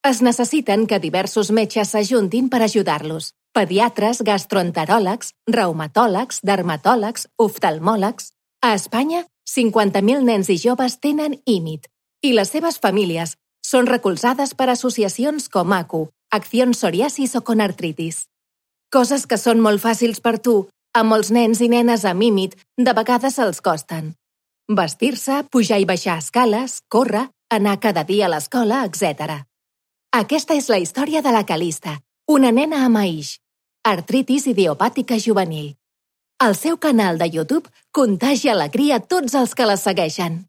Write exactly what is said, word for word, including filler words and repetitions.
Es necessiten que diversos metges s'ajuntin per ajudar-los. Pediatres, gastroenteròlegs, reumatòlegs, dermatòlegs, oftalmòlegs. A Espanya, cinquanta mil nens i joves tenen I M I T i les seves famílies són recolzades per associacions com A C U, Acción Psoriasis o Conartritis. Coses que són molt fàcils per tu, a molts nens i nenes amb I M I T de vegades els costen. Vestir-se, pujar i baixar escales, córrer, anar cada dia a l'escola, etcètera. Aquesta és la història de la Calista, una nena amb A I X, artritis idiopàtica juvenil. El seu canal de YouTube contagia alegria a tots els que la segueixen.